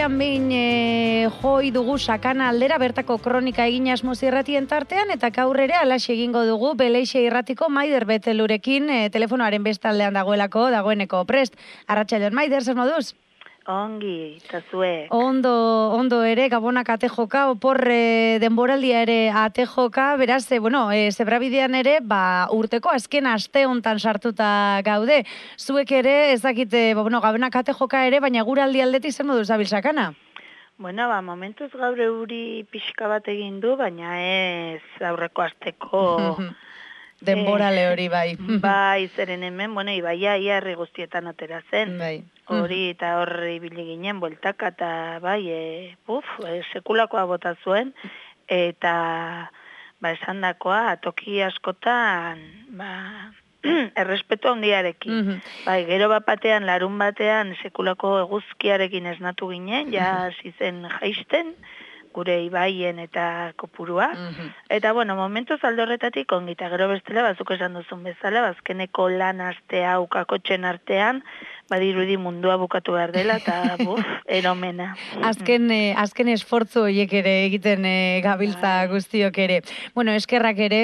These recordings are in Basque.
astean behin joi dugu Sakana aldera, bertako kronika egin asmoz irratien tartean, eta gaur ere alaxe egingo dugu Beleixe irratiko Maider Betelurekin, telefonoaren bestaldean dagoeneko prest. Arratsaldeon Maider, zer moduz? Ongi, eta zuek. Ondo ere, Gabonak ate joka, opor denboraldia ere ate joka, beraz, zebrabidean ere, urteko azken aste hontan sartuta gaude. Zuek ere, ez dakite, Gabonak ate joka ere, baina guraldi aldetik zer moduz abil Sakana? Bueno, momentuz gaur euri pixka bat egin du, baina ez aurreko asteko... Denborale hori bai. Bai, zeren hemen, ibaia herri guztietan atera zen. Bai. Hori eta horri ibili ginen, bueltaka eta bai, sekulakoa bota zuen, eta esandakoa toki askotan, errespetu handiarekin. Bai, gero batean, larun batean, sekulako eguzkiarekin esnatu ginen, ja hasi zen jaisten, gure ibaien eta kopurua. Eta, momentuz alde horretatik ongita, gero bestela, bazuk esan duzun bezala, bazkeneko lan astea, ukakotxen artean, badirudi mundua bukatu behar dela, eta eromena. Azken esfortzu horiek ere egiten gabiltza guztiok ere. Eskerrak ere,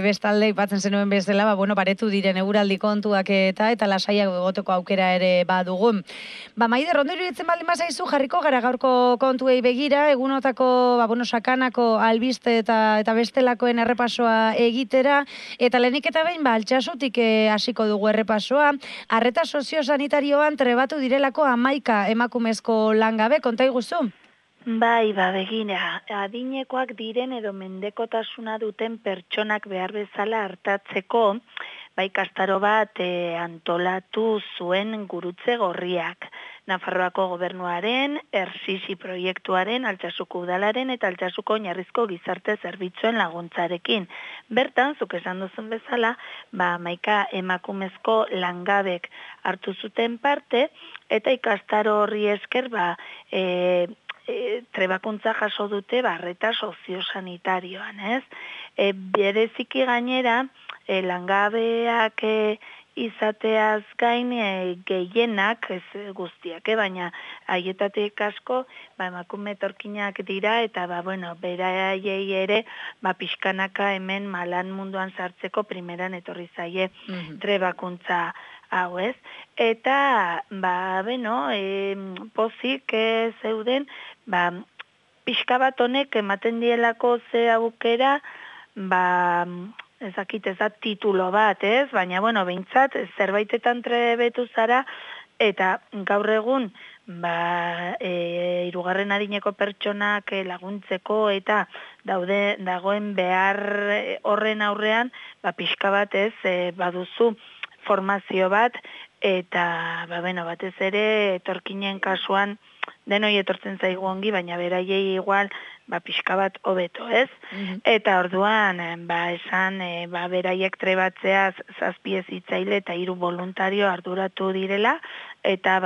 bestalde ipatzen zenuen bezala, baretu diren eguraldi kontuak eta lasaiak egoteko aukera ere badugun. Maider, ondo iruditzen baldin bazaizu, jarriko gara gaurko kontuei begira, egunotako, Sakanako albiste eta bestelakoen errepasoa egitera, eta lehenik eta behin, altxasutik hasiko dugu errepasoa, arreta soziosanitario trebatu direlako 11 emakumezko langabe, konta iguzu? Bai, begira, adinekoak diren edo mendekotasuna duten pertsonak behar bezala hartatzeko, kastaro bat antolatu zuen gurutze gorriak. Nafarroako gobernuaren, Ersisi proiektuaren, Altsasuko udalaren eta Altsasuko oinarrizko gizarte zerbitzuen laguntzarekin. Bertan, zuk esan duzun bezala, 11 emakumezko langabek hartu zuten parte, eta ikastaro horri esker, trebakuntza jaso dute arreta soziosanitarioan, ez? Bereziki gainera, langabeak izateaz gain gehienak, ez guztiak, baina haietatik asko, emakume etorkinak dira, eta beraiei ere, pixkanaka hemen malan munduan sartzeko primeran etorri zaie trebakuntza hau, ez? Eta, pozik zeuden, pixka bat honek ematen dielako ze aukera, ezakit ez da titulo bat, ez? Baina, behintzat, zerbaitetan trebetu zara, eta gaur egun, hirugarren adineko pertsonak laguntzeko, eta dagoen behar horren aurrean, pixka bat ez, baduzu formazio bat, eta, batez ere, etorkinen kasuan, denoi etortzen zaigu ongi, baina beraiei igual, pixka bat hobeto, ez? Eta orduan, esan, beraiek trebatzea 7 hezitzaile eta 3 voluntario arduratu direla, eta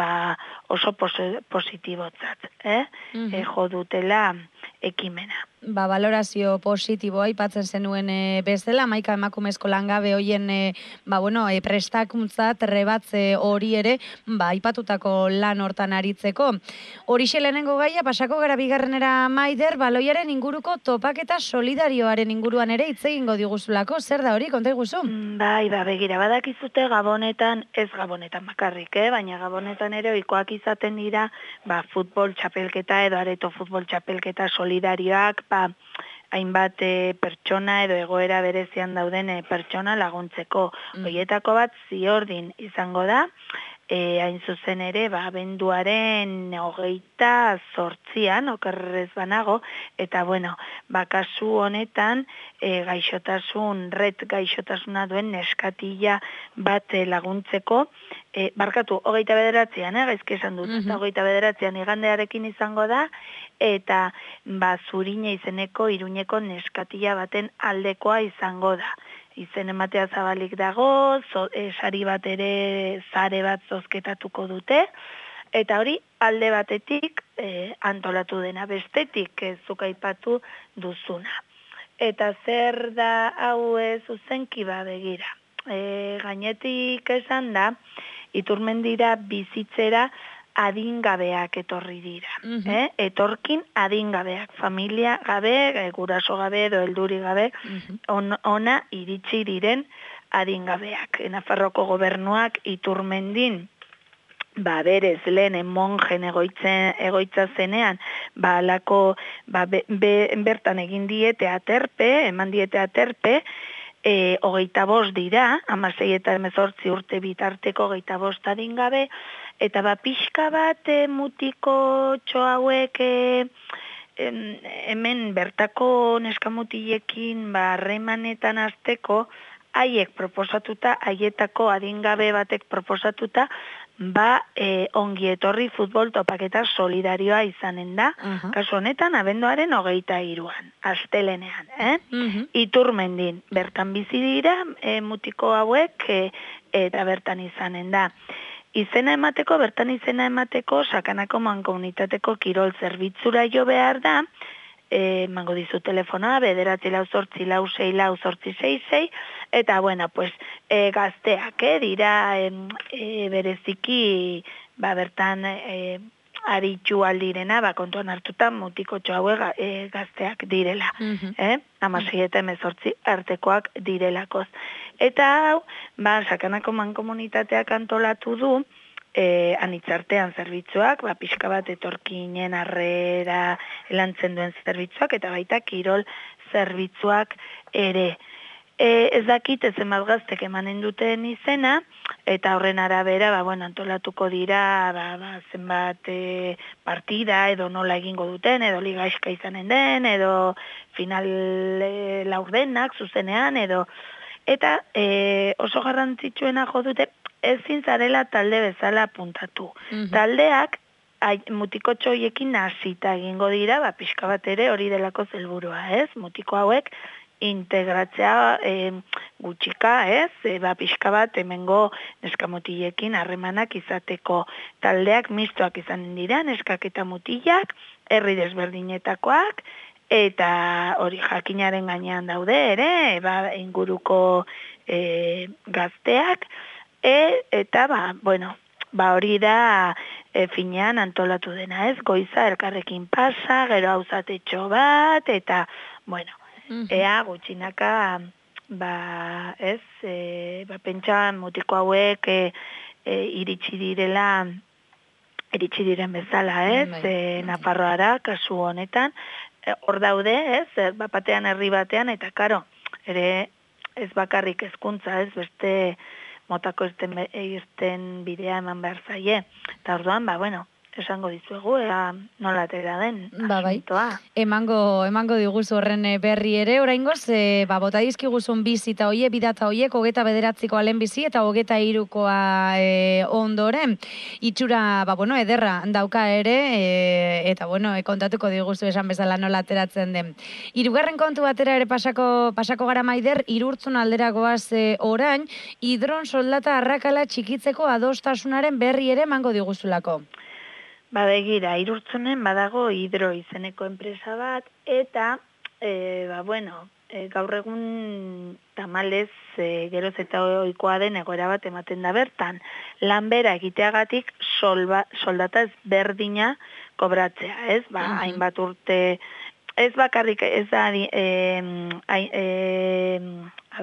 oso positibotzat, jo dutela ekimena. Balorazio positiboa aipatzen zenuen bezala, 11 emakumezko langabe hoien prestakuntza trebatze hori ere aipatutako lan hortan aritzeko. Horixe lehenengo gaia, pasako gara bigarrenera Maider, baloiaren inguruko topaketa solidarioaren inguruan ere hitz egingo diguzulako, zer da hori, konta iguzu? Begira, badakizute Gabonetan, ez Gabonetan bakarrik, baina Gabonetan ere ohikoak izaten dira, futbol txapelketa edo areto futbol txapelketa solidarioak, hainbat pertsona edo egoera berezian dauden pertsona laguntzeko. Horietako bat ziordin izango da, hain zuzen ere, abenduaren 28an, okerrez banago, eta kasu honetan gaixotasuna duen neskatila bat laguntzeko, 29an, gaizki esan dut, eta 29an igandearekin izango da, eta Zurine izeneko Iruñeko neskatila baten aldekoa izango da. Izen ematea zabalik dago, sari bat ere zare bat zozketatuko dute, eta hori alde batetik antolatu dena, bestetik zuk aipatu duzuna. Eta zer da hau zuzenki begira. Gainetik esan da, Iturmendira bizitzera adingabeak etorri dira. Etorkin adingabeak, familia gabe, guraso gabe edo helduri gabe, ona iritsi diren adingabeak. Nafarroko gobernuak Iturmendin, berez lehen monjen egoitza zenean, alako, bertan egin diete aterpe, eman diete aterpe, 25 dira, 16 eta 18 urte bitarteko 25 adingabe, eta pixka bat mutiko hauek hemen bertako neskamutiliekin harremanetan azteko, haiek proposatuta, haietako adingabe batek proposatuta, ongi etorri futbol topaketa solidarioa izanen da, kasu honetan abenduaren 23an, astelenean, Iturmendin, bertan bizi dira, mutiko hauek, eta bertan izanen da. Bertan izena emateko, Sakanako mankomunitateko kirol zerbitzura jo behar da, mango dizu telefonoa, 944464666, eta, gazteak, dira, bereziki, bertan, aritxu aldirena, kontuan hartuta, mutiko hauek gazteak direla, 16 eta 18 artekoak direlakoz. Eta hau, Sakanako mankomunitateak antolatu du, anitzartean zerbitzuak, pixka bat etorkinen harrera lantzen duen zerbitzuak, eta baita kirol zerbitzuak ere. Ez dakit zenbat gaztek emanen duten izena, eta horren arabera, antolatuko dira, zenbat partida, edo nola egingo duten, edo ligaizka izanen den, edo final laurdenak zuzenean, edo... Eta oso garrantzitsuena jo dute, ezin zarela talde bezala apuntatu. Taldeak mutiko txoiekin hasita egingo dira, pixka bat ere hori delako helburua, ez? Mutiko hauek integratzea gutxika, ez? Pixka bat hemengo neskamutiliekin harremanak izateko taldeak mistoak izanen dira, neskak eta mutilak, herri desberdinetakoak, eta hori jakinaren gainean daude ere, inguruko gazteak, eta hori da finean antolatu dena, ez? Goiza elkarrekin pasa, gero auzatetxo bat, eta, ea gutxinaka, pentsa mutiko hauek iritsi diren bezala, ez? Nafarroara, kasu honetan, hor daude, ez? Batean herri batean, eta karo, ere ez bakarrik hezkuntza, ez? Beste motako irten bidea eman behar zaie. Eta orduan, esango dizuegu, nola atera den asuntoa. Emango diguzu horren berri ere, oraingoz, bota dizkiguzun bizita hoie, bidata hoiek, 29ko lehenbizi eta 23koa ondoren. Itxura, ederra dauka ere, eta, kontatuko diguzu esan bezala nola ateratzen den. Hirugarren kontu batera ere pasako gara Maider, Irurtzun alderagoaz orain, hidron soldata arrakala txikitzeko adostasunaren berri ere emango diguzulako. Begira, Irurtzunen badago hidro izeneko enpresa bat, eta, gaur egun tamalez geroz eta ohikoa den egoera bat ematen da bertan. Lanbera egiteagatik soldata ezberdina kobratzea, ez? Hainbat urte, ez bakarrik, ez da,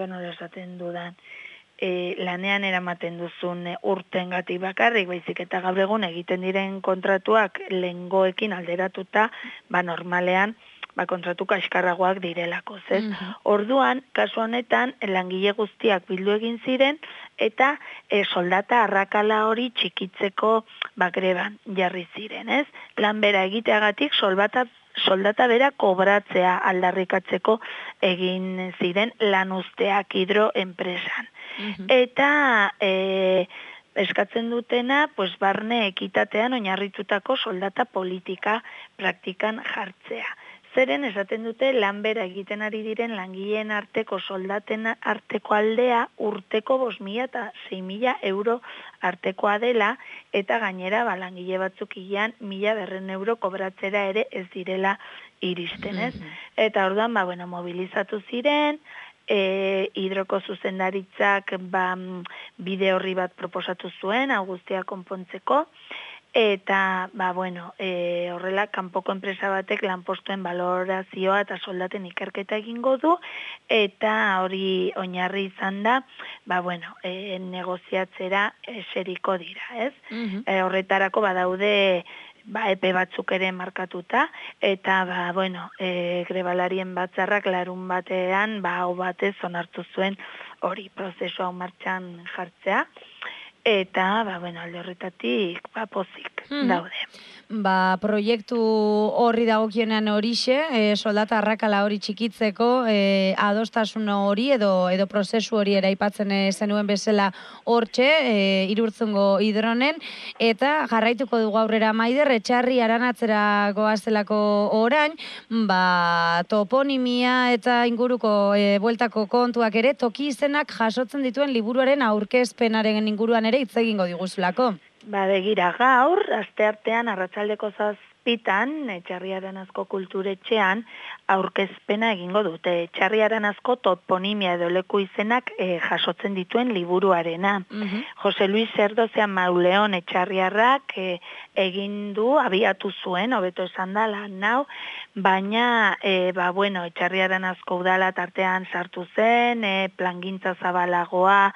nola esaten dudan, lanean eramaten duzun urtengatik bakarrik, baizik eta gaur egun egiten diren kontratuak lehengoekin alderatuta, normalean, kontratu kaskarragoak direlako, ez? Orduan, kasu honetan, langile guztiak bildu egin ziren, eta soldata arrakala hori txikitzeko greban jarri ziren, ez? Lanbera egiteagatik soldata bera kobratzea aldarrikatzeko egin ziren lanuzteak hidro enpresan. Eta eskatzen dutena, barne ekitatean oinarritutako soldata politika praktikan jartzea. Zeren esaten dute lanbera egiten ari diren langileen arteko soldaten arteko aldea urteko 5.000 eta 6.000 euro artekoa dela, eta gainera langile batzuk ilan 1.200 euro kobratzera ere ez direla iristen, ez? Eta orduan, mobilizatu ziren, hidroko zuzendaritzak bide horri bat proposatu zuen, guztia konpontzeko, eta, horrela, kanpoko enpresa batek lanpostuen balorazioa eta soldaten ikerketa egingo du, eta hori oinarri izan da, negoziatzera eseriko dira, ez? Horretarako badaude epe batzuk ere markatuta, eta grebalarien batzarrak larun batean, hau batez onartu zuen hori prozesua martxan jartzea, eta, alde horretatik, pozik daude. Proiektu horri dagokienean horixe, soldata arrakala hori txikitzeko, adostasun hori edo prozesu hori ere aipatzen zenuen bezala hortxe, Irurtzungo hidronen, eta jarraituko dugu aurrera Maider, Etxarri Aranatzera goazelako orain, toponimia eta inguruko bueltako kontuak ere, toki izenak jasotzen dituen liburuaren aurkezpenaren inguruan ere hitz egingo diguzulako. Begira, gaur, asteartean arratsaldeko 7:00 Etxarri Aranazko kulturetxean aurkezpena egingo dute. Etxarri Aranazko toponimia edo leku izenak jasotzen dituen liburuarena. Jose Luis Erdozea Mauleon Etxarriarrak egin du, abiatu zuen, hobeto esan da lan hau, baina, Etxarri Aranazko udala tartean sartu zen, plangintza zabalagoa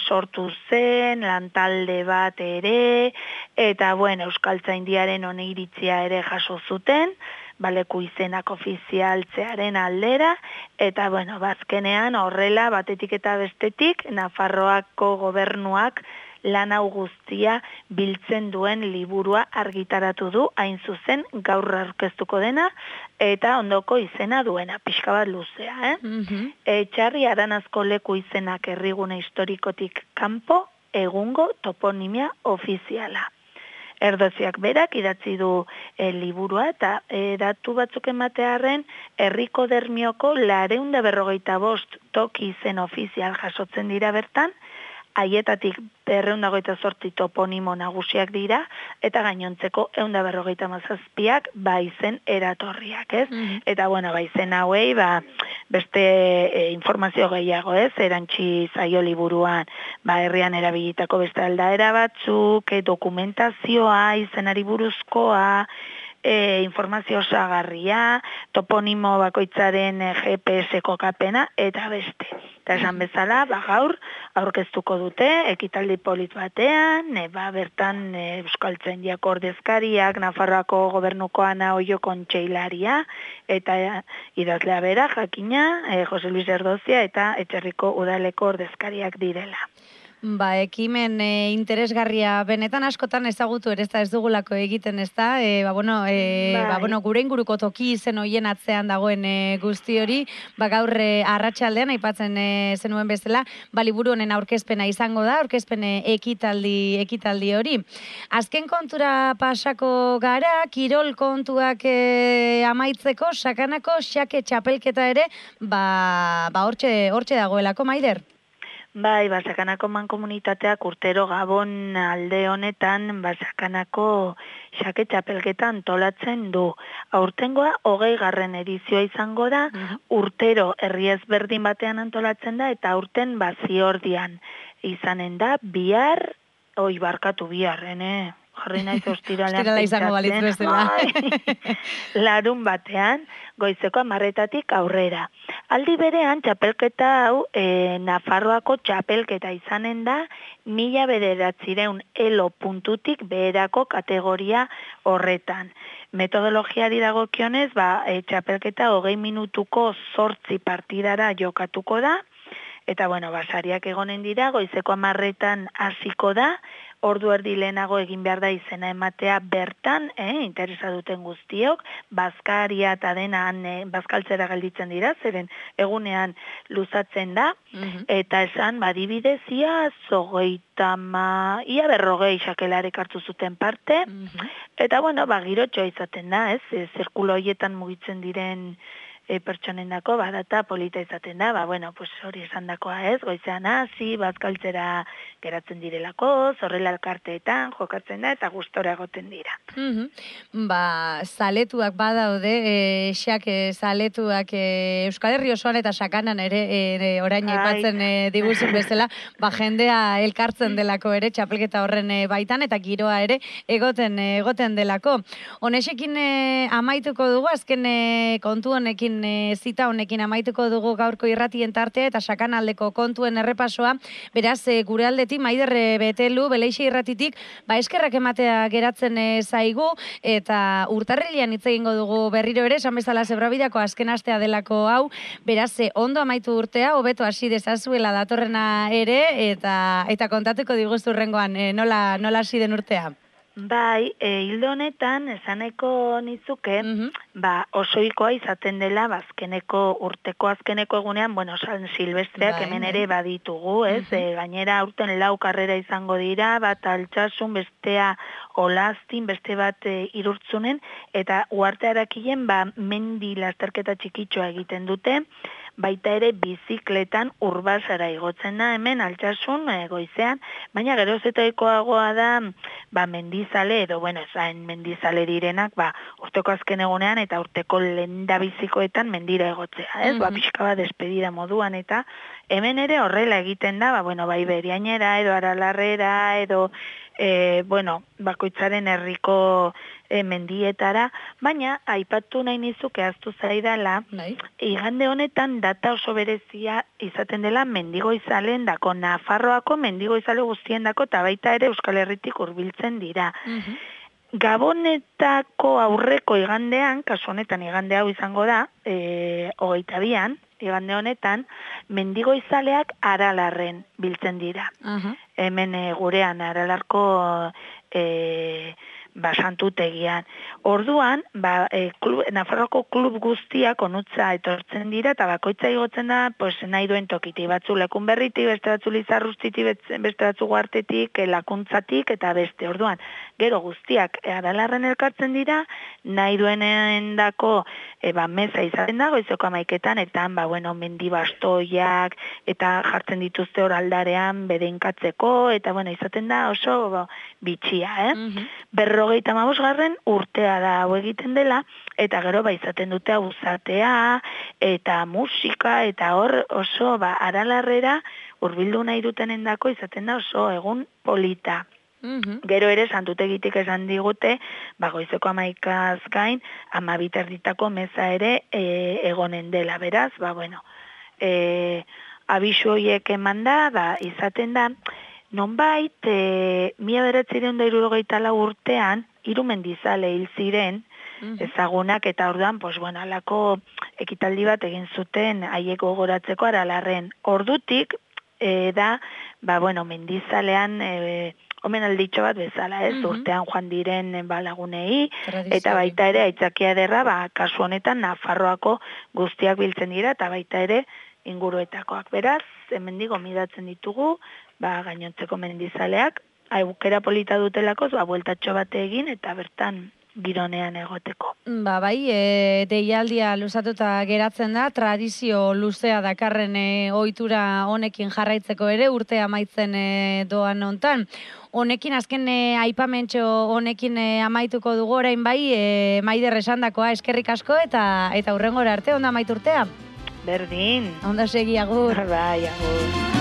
sortu zen, lantalde bat ere, eta, Euskaltzaindiaren oniritzia ere jaso zuten, leku izenak ofizialtzearen aldera, eta, bazkenean horrela batetik eta bestetik, Nafarroako gobernuak lan hau guztia biltzen duen liburua argitaratu du, hain zuzen gaur aurkeztuko dena, eta ondoko izena duena, pixka bat luzea. Etxarri Aranazko leku izenak herrigune historikotik kanpo, egungo toponimia ofiziala. Erdoziak berak idatzi du liburua eta datu batzuk ematearren herriko dermioko 455 toki izen ofizial jasotzen dira bertan, haietatik 228 toponimo nagusiak dira, eta gainontzeko 157 izen eratorriak, ez? Eta, izen hauei, beste informazio gehiago, ez? Erantzi zaio liburuan, herrian erabilitako beste aldaera batzuk, dokumentazioa, izenari buruzkoa, informazio osagarria, toponimo bakoitzaren GPS kokapena, eta beste. Eta esan bezala, gaur aurkeztuko dute, ekitaldi polit batean, bertan Euskaltzaindiako ordezkariak, Nafarroako gobernuko Ana Oio kontseilaria, eta idazlea bera, jakina, Jose Luis Erdozia, eta Etxerriko udaleko ordezkariak direla. Ekimen interesgarria benetan askotan ezagutu ere ez dugulako egiten, ez da? Gure inguruko toki izen hoien atzean dagoen guzti hori, gaur arratsaldean aipatzen zenuen bezala, liburu honen aurkezpena izango da, aurkezpen ekitaldi hori. Azken kontura pasako gara, kirol kontuak amaitzeko, sakanako xake txapelketa ere, hortxe dagoelako, Maider? Sakanako mankomunitateak urtero Gabon alde honetan, Sakanako xake txapelketa antolatzen du. Aurtengoa 20. edizioa izango da, urtero herri ezberdin batean antolatzen da, eta aurten Ziordian izanen da, bihar, jarri naiz ostiralean pentsatzen, larun batean, goizeko 10:00 aurrera. Aldi berean, txapelketa hau, Nafarroako txapelketa izanen da, 1900 elo puntutik beherako kategoria horretan. Metodologiari dagokionez, txapelketa 20 minutuko 8 partidara jokatuko da, eta, sariak egonen dira, goizeko 10:00 hasiko da, ordu erdi lehenago egin behar da izena ematea bertan, interesa duten guztiok, bazkaria eta denan bazkaltzera gelditzen dira, zeren egunean luzatzen da, eta esan, adibidez, ia 40 xakelarek hartu zuten parte, eta, girotxoa izaten da, zirkulo horietan mugitzen diren pertsonendako data polita izaten da, bueno, pues hori esandakoa ez, goizean hasi, bazkaltzera geratzen direlako, zorrela elkarteetan jokatzen da eta gustora egoten dira. Zaletuak badaude, zaletuak Euskal Herri osoan eta sakanan ere orain aipatzen diguzun bezala, jendea elkartzen delako ere txapelketa horren baitan eta giroa ere egoten delako. Honexekin amaituko dugu, azken kontu honekin, zita honekin amaituko dugu gaurko irratien tartea eta sakanaldeko kontuen errepasoa. Beraz, gure aldetik Maider Betelu, Beleixe irratitik, eskerrak ematea geratzen zaigu eta urtarrilean hitz egingo dugu berriro ere, esan bezala Zebrabidako azken astea delako hau. Beraz, ondo amaitu urtea, hobeto hasi dezazuela datorrena ere eta kontatuko diguztu hurrengoan nola hasi den urtea. Bai, hildo honetan, esaneko nitzuke, osoikoa izaten dela, urteko azkeneko egunean, San Silvestreak hemen ere baditugu, ez? Gainera, aurten 4 karrera izango dira, bat Altsasun, bestea Olaztin, beste bat Irurtzunen, eta Uharte Arakilen, mendi lasterketa txikitxoa egiten dute, baita ere bizikletan Urbasara igotzen da hemen Altsasun goizean, baina geroz eta ekoagoa da mendizale edo ezain mendizale direnak urteko azken egunean eta urteko lehendabizikoetan mendira egotzea, ez? Pixka bat despedida moduan eta hemen ere horrela egiten da, bai Beriainera edo Aralarrera edo bakoitzaren herriko mendietara, baina aipatu nahi nizuke ahaztu zaidala, igande honetan data oso berezia izaten dela mendigoizalen dako, Nafarroako mendigoizale guztien dako, eta baita ere Euskal Herritik hurbiltzen dira. Gabonetako aurreko igandean, kasu honetan igande hau izango da, 22an, igande honetan, mendigoizaleak Aralarren biltzen dira. Hemen gurean Aralarko santutegian. Orduan, Nafarroako klub guztiak onutza etortzen dira, eta bakoitza igotzen da, nahi duen tokiti, batzu lekun berritik, beste batzu Lizarrustitik, beste batzu Guartetik, Lakuntzatik, eta beste. Orduan, gero guztiak Aralarren elkartzen dira, nahi duenen dako meza izaten da, goizeko 11etan, eta mendi bastoiak, eta jartzen dituzte hor aldarean bedeinkatzeko, eta izaten da oso bitxia, 55. urtea da hau egiten dela, eta gero izaten dute auzatea, eta musika, eta hor oso Aralarrera hurbildu nahi dutenendako izaten da oso egun polita. Gero ere santutegitik esan digute, goizeko 11az gain, 12 meza ere egonen dela, beraz, abisu horiek eman da, izaten da, nonbait, 1974 urtean, 3 mendizale hil ziren, ezagunak, eta orduan, alako ekitaldi bat egin zuten haiek gogoratzeko Aralarren. Ordutik, mendizalean, omenalditxo bat bezala, ez? Urtean joan diren lagunei, eta baita ere, aitzakia ederra, kasu honetan, Nafarroako guztiak biltzen dira, eta baita ere, inguruetakoak. Beraz, hemendik gomidatzen ditugu, gainontzeko mendizaleak, aukera polita dutelakoz, bueltatxo bate egin, eta bertan gironean egoteko. Deialdia luzatuta geratzen da, tradizio luzea dakarren ohitura honekin jarraitzeko ere, urtea amaitzen doan hontan. Honekin, azken aipamentxo honekin amaituko dugu orain Maider esandakoa eskerrik asko, eta hurrengora arte, ondo amaitu urtea? Berdin. Ondo segi, agur. Agur.